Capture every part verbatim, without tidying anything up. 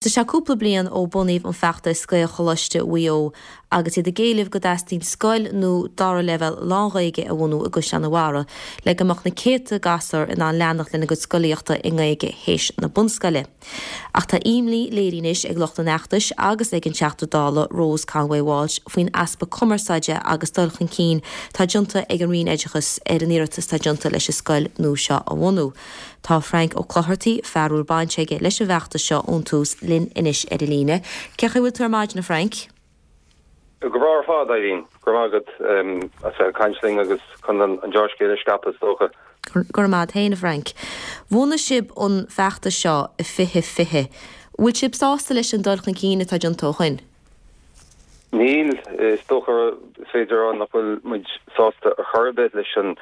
Tá sé cúpla bliain ó bunaíodh an feachtas Gaelcholáiste Mhaigh Eo agus iad ag éileamh go dteastaíonn scoil nua dara leibhéal lán-Ghaeilge a bhunú i gCaisleán an Bharraigh le go mbeadh na céadta gasúr in ann leanacht lena gcuid scolaíochta i nGaeilge théis na bunscoile. Ach tá imní léirithe anois ag lucht an fheachtais agus ag an Teachta Dála Rose Conway Walsh faoin easpa cumarsáide agus dul chun cinn atá déanta ag an Roinn Oideachais ar an iarratas atá déanta leis an scoil nua seo a bhunú. Tá Frank Ó Clochartaigh, fear a bhfuil baint aige leis an bhfeachtas seo ón tús linn anois ar an líne. Cén chaoi a bhfuil tú ar maidin, a Frank? Go breá ar fad, Eileen, go raibh maith agat as bheith ag caint linn agus chun an dea-scéal a scaipeadh, is dócha. Go raibh maith agat féin, a Frank. Bhunaigh sibh an feachtas seo i fiche fiche. Bhfuil sibh sásta leis an dul chun cinn atá déanta ó shin? Níl, is dócha is féidir a rá nach bhfuil muid sásta ar chor ar bith leis an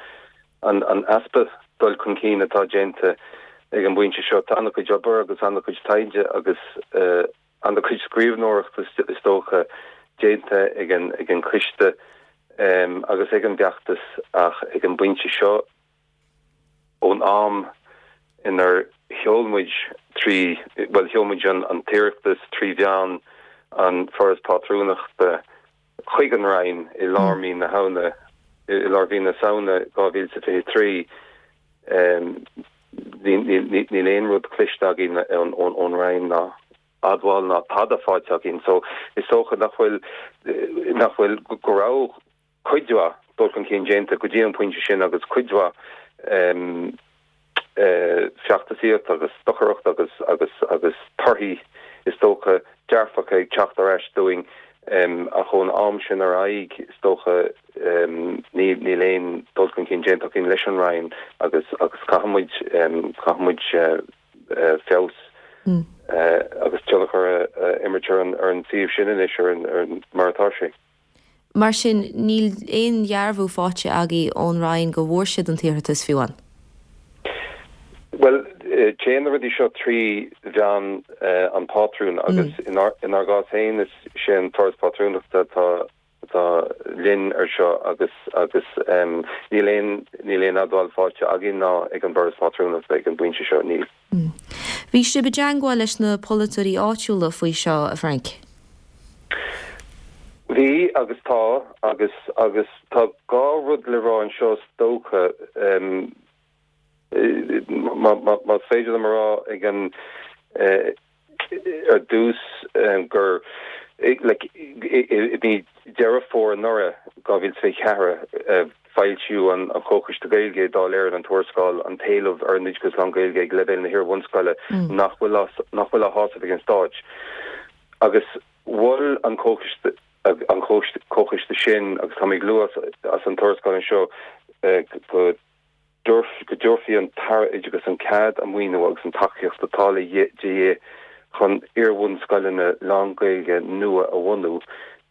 an an easpa dul chun cinn atá déanta ag an bpointe seo. Tá an-chuid obair agus an-chuid taighde agus uh, an-chuid scríbhneoireachta is dócha déanta ag an ag an coiste um, agus ag an bhfeachtas ach ag an bpointe seo ón am inar sheol muid trí well sheol muid an an t-iarratas trí mheán an Foras Pátrúnachta chuig an Roinn i lár mí na Samhna i lár mhí na Samhna dhá mhíle fiche trí níl aon rud cloiste againn ón Roinn ná admháil ná tada faighte againn so is dócha nach bhfuil nach bhfuil go raibh cuid mhaith dul chun cinn déanta go dtí an pointe sin agus cuid mhaith um, uh, feachtasaíocht agus stocaireacht agus agus agus torthaí is dócha dearfacha ag teacht ar ais dúinn um, ach ón am sin ar aghaidh is dócha um, níl aon dul chun cinn déanta againn leis an Roinn agus agus caithfimid um, caithfimid uh, uh, feabhas mm. uh, agus tionchar uh, imirt ar an ar an suíomh sin anois ar an, ar an mar atá sé. Mar sin níl aon dhearbhú faighte agaibh ón Roinn go bhfuair siad an t-iarratas fiú amháin. Well téann na rudaí seo trí mheán an pátrún agus inár inár gcás féin is sé an Foras Pátrúnachta atá atá linn ar seo agus agus um, níl aon níl aon admháil faighte againn ná ag an bhForas Pátrúnachta ag an bpointe seo níl. Mm. Bhí sibh i dteagmháil leis na polaiteoirí áitiúla faoi seo a Frank. Bhí agus tá agus agus tá dhá rud le rá anseo is dócha um, má féidir liom rá ag an uh, ar dtús um, gur like, i mí Deireadh Fómhair anuraidh dhá mhíle fiche ceathair foilsíodh an an Comhchoiste Gaeilge Dáil Éireann an tuarascáil an t-éileamh ar an oideachas lán-Ghaeilge ag leibhéal na hiar-bhunscoile mm. nach bhfuil nach bhfuil á shásamh ag an stát. Agus mhol an Comhchoiste an Comhchoiste sin agus tá ag lua as an tuarascáil seo uh, go go dtabharfaí an tAire Oideachais an cead an maoiniú agus an tacaíocht atá le dhíth chun iar-bhunscoileanna lán-Ghaeilge nua a bhunú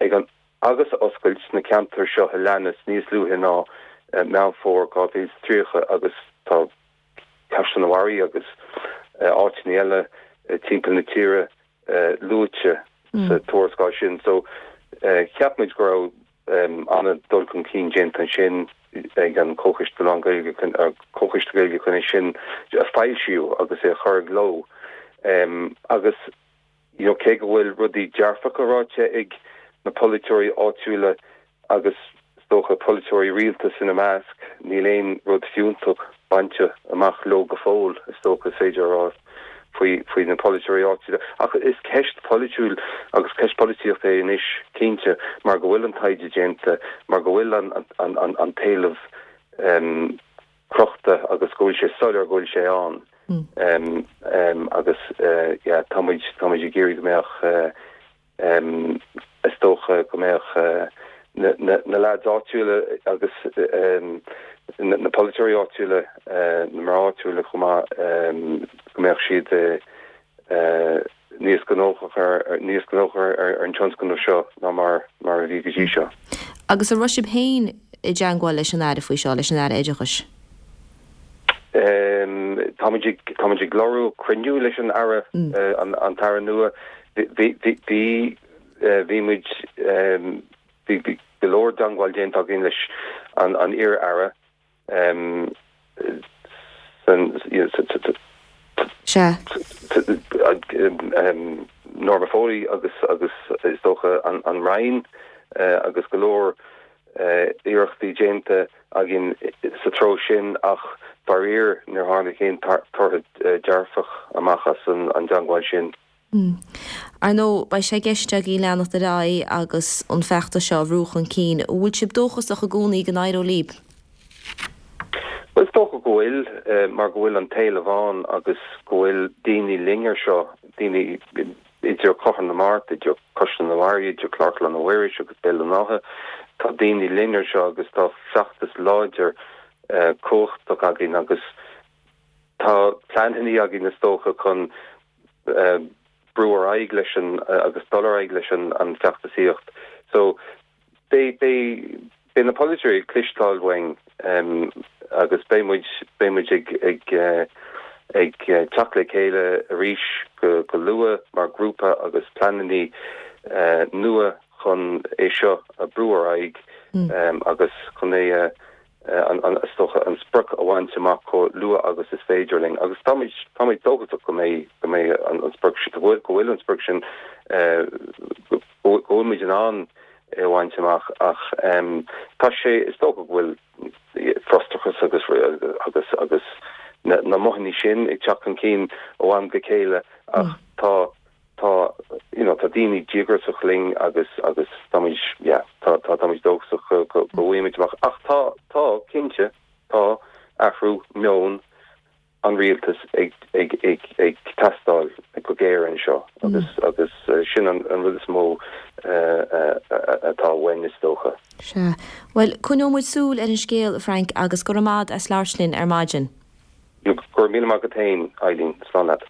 ag an agus a oscailt sna ceantair seo a leanas níos luaithe ná uh, Meán Fómhair dhá mhíle tríocha agus tá Caisleán an Bharraigh agus uh, áiteanna eile uh, timpeall na tíre uh, luaite mm. sa tuarascáil sin so uh, cheap muid go raibh um, an-dul chun cinn déanta sin ag an Comhchoiste lán-Ghaeilge Comhchoiste Gaeilge chun é sin a foilsiú agus é chur i gcló um, agus you know, cé go bhfuil rudaí dearfacha ráite ag na polaiteoirí áitiúla agus is dócha polaiteoirí rialtais ina measc níl aon rud fiúntach bainte amach leo go fóill is dócha féidir rá faoi faoi na polaiteoirí áitiúla ach is ceist polaitiúil agus ceist polaitíochta é anois cinnte mar go bhfuil an taighde déanta mar go bhfuil an an an, an t-éileamh um, crochta agus go bhfuil sé soiléir go bhfuil sé ann mm. um, um, agus uh, yeah, táimid táimid ag iarraidh go mbeadh uh, um, is dócha go mbeadh uh, na, na, na lads áitiúla agus um, na, na polaiteoirí áitiúla uh, na mná áitiúla chomh maith um, go mbeadh siad uh, uh, níos gnóthach ar níos gnóthach ar, ar an tionscnamh seo ná mar mar a bhí go dtí seo. Agus an raibh sibh féin i dteagmháil leis an Aire faoi seo leis an Aire Oideachais. Um, Táimid táimid ag lorg cruinniú leis an Aire mm. uh, an, an tAire nua bhí bhí muid bhí go leor teagmháil déanta againn leis an an iar-aire um, san Se um, Norma Foley agus agus is dócha an, an Roinn uh, agus go leor uh, iarrachtaí déanta againn sa treo sin ach faraor níor tháinig aon toradh uh, dearfach amach as an, an teagmháil sin. Mm. Ar ndóigh beidh sé i gceist agaibh leanacht ar aghaidh agus an feachtas seo a bhrú chun cinn, bhfuil sibh dóchasach i gcónaí go n-éireoidh libh. Well is dócha go bhfuil uh, mar go bhfuil an t-éileamh ann agus go bhfuil daoine linn ar seo daoine idir Clochar na Mart, idir Caisleán an Bharraigh, idir Clár Chlanna Mhuiris agus Béal an Átha, tá daoine linn ar seo agus tá feachtas láidir uh, cumhachtach againn agus tá pleananna againn is dócha chun uh, brú ar aghaidh leis an uh, agus dul ar aghaidh leis an an feachtasaíocht. So beidh beidh beidh na polaiteoirí ag cloisteáil uainn um, agus beidh muid beidh muid ag ag uh, ag uh, teacht le chéile arís go, go luath mar grúpa agus pleananna uh, nua chun é seo a bhrú ar aghaidh mm. um, agus chun é uh, an an stocha an sprioc a bhaint amach chomh luath agus is féidir linn agus táimid táimid dóchasach go mbeidh go mbeidh an an sprioc go bhfuil go bhfuil an sprioc sin go bhfuil in ann é a bhaint amach ach um, tá sé is dócha go bhfuil frustrachas agus agus agus na, na mothaí sin ag teacht chun cinn ó am go chéile ach mm. tá tá you know, tá daoine díograiseach linn agus agus táimid yeah, tá tá táimid dóchasach go go bhfaighimid amach ach tá tá cinnte tá athrú meoin an rialtas ag ag ag ag teastáil go géar anseo agus mm. agus uh, sin an, an rud is mó uh, uh, atá uainn is dócha. Sea. Well coinneoidh muid súil ar an scéal Frank agus go raibh maith as labhairt linn ar maidin. Go raibh míle maith agat féin Eileen slán leat.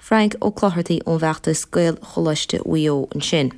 Frank Ó Clochartaigh ón bhfeachtas Gaelcholáiste Mhaigh Eo ansin.